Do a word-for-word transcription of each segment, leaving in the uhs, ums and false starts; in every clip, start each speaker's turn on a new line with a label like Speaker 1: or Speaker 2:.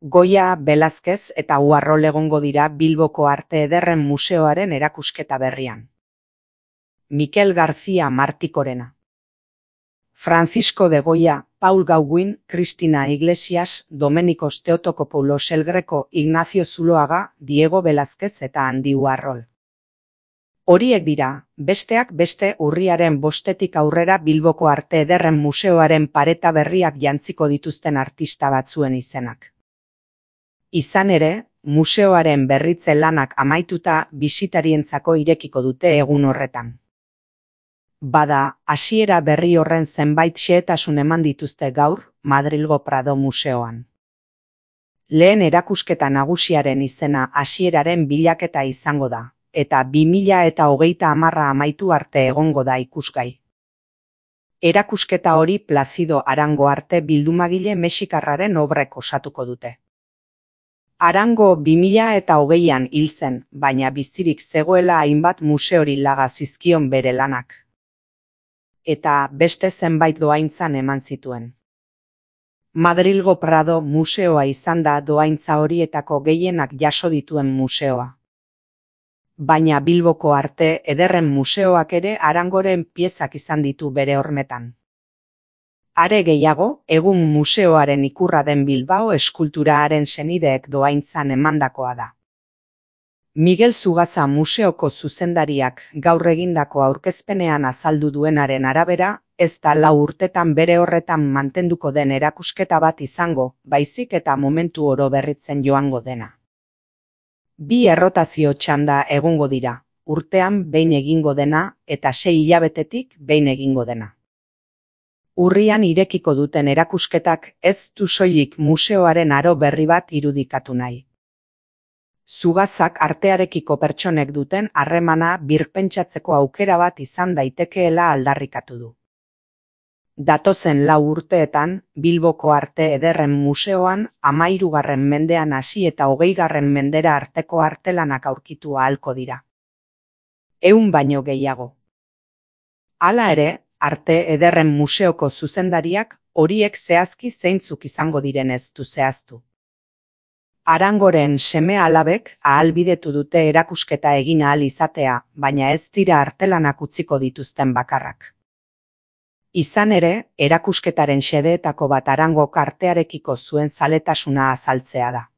Speaker 1: Goya, Velázquez eta Uarrol egongo dira Bilboko Arte Ederren Museoaren erakusketa berrian. Mikel García Martikorena. Francisco de Goya, Paul Gauguin, Cristina Iglesias, Domenicos Theotokopoulos El Greco, Ignacio Zuloaga, Diego Velázquez eta Andi Uarrol. Horiek dira, besteak beste urriaren bostetik aurrera Bilboko Arte Ederren Museoaren pareta berriak jantziko dituzten artista batzuen izenak. Izan ere, museoaren berritze lanak amaituta bisitarientzako irekiko dute egun horretan. Bada, hasiera berri horren zenbait xehetasun eman dituzte gaur, Madrilgo Prado Museoan. Lehen erakusketa nagusiaren izena hasieraren bilaketa izango da, eta bi mila eta hogeita hamarra amaitu arte egongo da ikusgai. Erakusketa hori Placido Arango arte bildumagile mexikarraren obrek osatuko dute. Arango bi mila eta hogeian hil zen, baina bizirik zegoela hainbat museori laga zizkion bere lanak. Eta beste zenbait dohaintzan eman zituen. Madrilgo Prado Museoa izan da dohaintza horietako gehienak jaso dituen museoa. Baina Bilboko Arte Ederren Museoak ere Arangoren piezak izan ditu bere hormetan. Are gehiago, egun museoaren ikurra den Bilbao eskulturaaren senideek dohaintzan emandakoa da. Miguel Zugaza museoko zuzendariak gaur egindako aurkezpenean azaldu duenaren arabera, ez da lau urtetan bere horretan mantenduko den erakusketa bat izango, baizik eta momentu oro berritzen joango dena. Bi errotazio txanda egongo dira, urtean behin egingo dena eta sei hilabetetik behin egingo dena. Urrian irekiko duten erakusketak ez du soilik museoaren aro berri bat irudikatu nahi. Zugazak artearekiko pertsonek duten harremana birpentsatzeko aukera bat izan daitekeela aldarrikatu du. Datozen lau urteetan, Bilboko Arte Ederren Museoan hamahirugarren mendean hasi eta hogeigarren mendera arteko artelanak aurkitu ahalko dira. Ehun baino gehiago. Hala ere, Arte Ederren Museoko zuzendariak horiek zehazki zeintzuk izango diren ez du zehaztu. Arangoren seme-alabek ahalbidetu dute erakusketa egin ahal izatea, baina ez dira artelanak utziko dituzten bakarrak. Izan ere, erakusketaren xedeetako bat Arangok artearekiko zuen zaletasuna azaltzea da.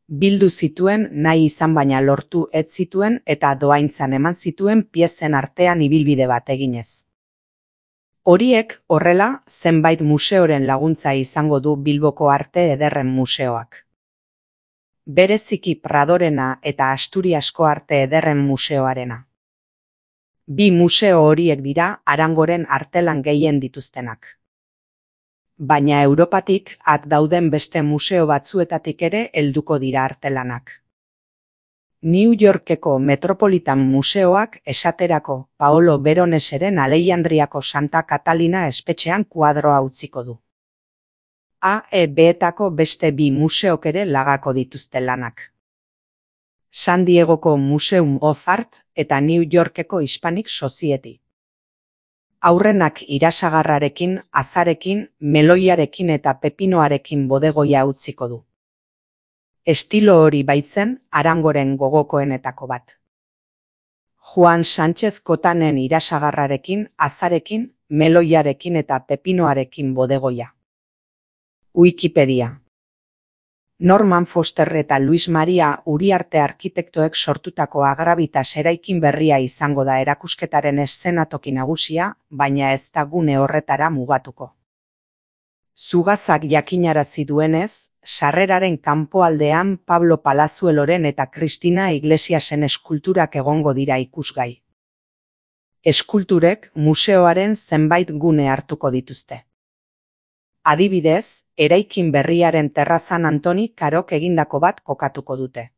Speaker 1: Bildu zituen nahi izan baina lortu ez zituen eta dohaintzan eman zituen piezen artean ibilbide bat eginez. Horiek, horrela, zenbait museoren laguntza izango du Bilboko Arte Ederren Museoak. Bereziki Pradorena eta Asturiasko Arte Ederren Museoarena. Bi museo horiek dira Arangoren artelan gehien dituztenak. Baina Europatik at dauden beste museo batzuetatik ere helduko dira artelanak. New Yorkeko Metropolitan Museoak esaterako Paolo Veroneseren Alejandriako Santa Catalina espetxean kuadroa utziko du. A E B-etako beste bi museok ere lagako dituzte lanak. San Diegoko Museum of Art eta New Yorkeko Hispanic Society. Aurrenak irasagarrarekin, azarekin, meloiarekin eta pepinoarekin bodegoia utziko du. Estilo hori baitzen Arangoren gogokoenetako bat. Juan Sánchez Cotanen irasagarrarekin, azarekin, meloiarekin eta pepinoarekin bodegoia. Wikipedia. Norman Foster eta Luis Maria Uriarte arkitektoek sortutako Agravitas eraikin berria izango da erakusketaren eszenatoki nagusia, baina ez da gune horretara mugatuko. Zugazak jakinarazi duenez, sarreraren kanpoaldean Pablo Palazueloren eta Cristina Iglesiasen eskulturak egongo dira ikusgai. Eskulturek museoaren zenbait gune hartuko dituzte. Adibidez, eraikin berriaren terrazan Antoni Karok egindako bat kokatuko dute.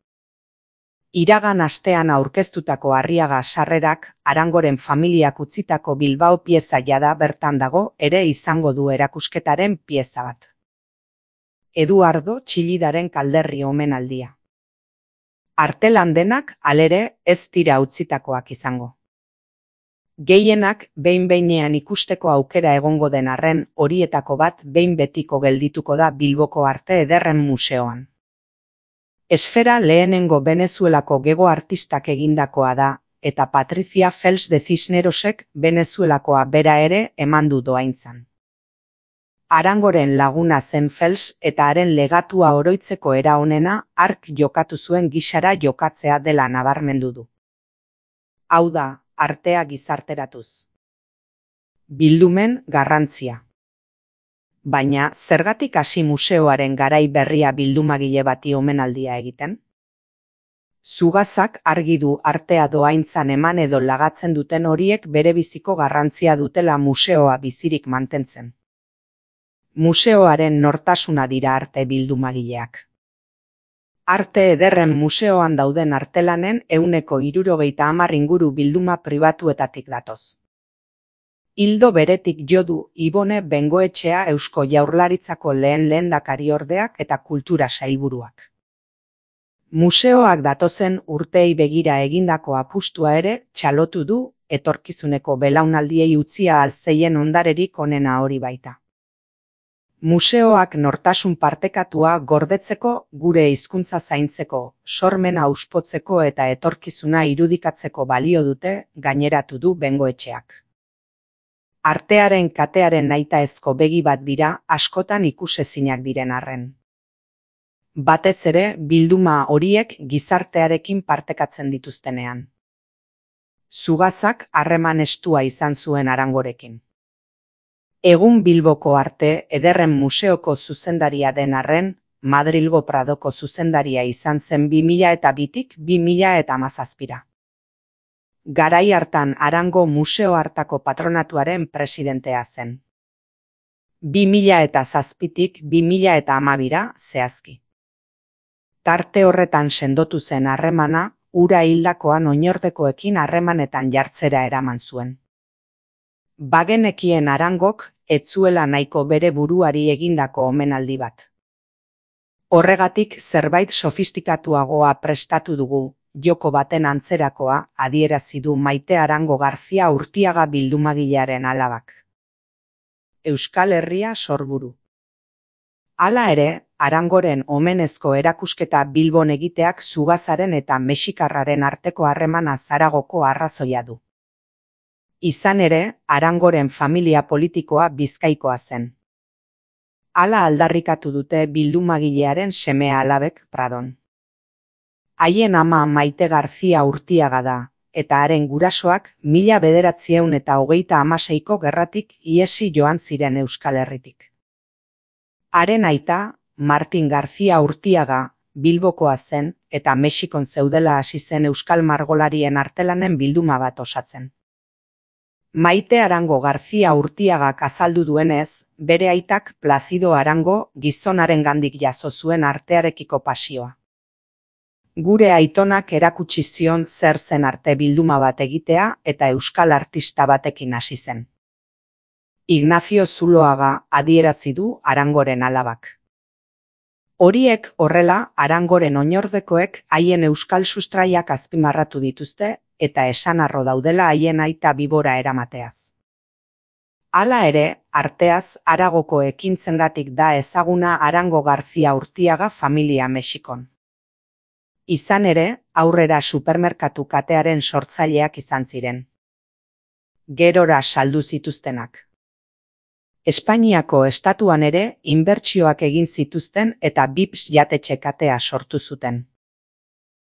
Speaker 1: Iragan astean aurkeztutako Arriaga sarrerak Arangoren familiak utzitako Bilbao pieza jada bertan dago ere izango du erakusketaren pieza bat. Eduardo Txillidaren Kalderri omenaldia. Artelan denak halere ez dira utzitakoak izango. Gehienak behin-behinean ikusteko aukera egongo den arren, horietako bat behin betiko geldituko da Bilboko Arte Ederren Museoan. Esfera lehenengo Venezuelako gego artistak egindakoa da, eta Patricia Fels de Cisnerosek Venezuelakoa bera ere eman du dohaintzan. Arangoren laguna zen Fels eta haren legatua oroitzeko era honena hark jokatu zuen gisara jokatzea dela nabarmendu du. Hau da, artea gizarteratuz. Bildumen garrantzia. Baina, zergatik hasi museoaren garai berria bildumagile bati omenaldia egiten? Zugazak argi du artea dohaintzan eman edo lagatzen duten horiek berebiziko garrantzia dutela museoa bizirik mantentzen. Museoaren nortasuna dira arte bildumagileak. Arte Ederren Museoan dauden artelanen ehuneko hirurogeita hamar inguru bilduma pribatuetatik datoz. Ildo beretik jo du Ibone Bengoetxea Eusko Jaurlaritzako lehen lehendakariordeak eta kultura sailburuak. Museoak datozen urteei begira egindako apustua ere txalotu du etorkizuneko belaunaldiei utzia alzeien ondarerik onena hori baita. Museoak nortasun partekatua gordetzeko, gure hizkuntza zaintzeko, sormena auspotzeko eta etorkizuna irudikatzeko balio dute, gaineratu du Bengoetxeak. Artearen katearen nahitaezko begi bat dira askotan ikusezinak diren arren. Batez ere bilduma horiek gizartearekin partekatzen dituztenean. Zugazak harreman estua izan zuen Arangorekin. Egun Bilboko Arte Ederren Museoko zuzendaria den arren, Madrilgo Pradoko zuzendaria izan zen bi mila eta bitik bi mila eta hamazazpira. Garai hartan Arango museo hartako patronatuaren presidentea zen. bi mila eta zazpitik bi mila eta hamabira zehazki. Tarte horretan sendotu zen harremana, ura hildakoan oinordekoekin harremanetan jartzera eraman zuen. Bagenekien Arangok ez zuela nahiko bere buruari egindako omenaldi bat. Horregatik zerbait sofistikatuagoa prestatu dugu, joko baten antzerakoa adierazi du Maite Arango Garzia Urtiaga bildumagilearen alabak. Euskal Herria sorburu. Hala ere, Arangoren omenezko erakusketa Bilbon egiteak zugazaren eta mexikarraren arteko harremana Zaragoko arrazoia du. Izan ere, Arangoren familia politikoa Bizkaikoa zen. Hala aldarrikatu dute bildumagilearen seme alabek Pradon. Haien ama Maite Garzia Urtiaga da, eta haren gurasoak mila bederatziehun eta hogeita hamaseiko gerratik ihesi joan ziren Euskal Herritik. Haren aita, Martin Garzia Urtiaga, Bilbokoa zen eta Mexikon zeudela hasi zen euskal margolarien artelanen bilduma bat osatzen. Maite Arango Garzia Urtiagak azaldu duenez, bere aitak Plazido Arango gizonarengandik jaso zuen artearekiko pasioa. Gure aitonak erakutsi zion zer zen arte bilduma bat egitea eta euskal artista batekin hasi zen. Ignacio Zuloaga adierazi du Arangoren alabak. Horiek horrela Arangoren oinordekoek haien euskal sustraiak azpimarratu dituzte eta esanarro daudela haien aita bibora eramateaz. Hala ere, arteaz Aragoko ekintzengatik da ezaguna Arango Garzia Urtiaga familia Mexikon. Izan ere, aurrera supermerkatu katearen sortzaileak izan ziren. Gerora saldu zituztenak. Espainiako estatuan ere inbertsioak egin zituzten eta Bips jatetxe katea sortu zuten.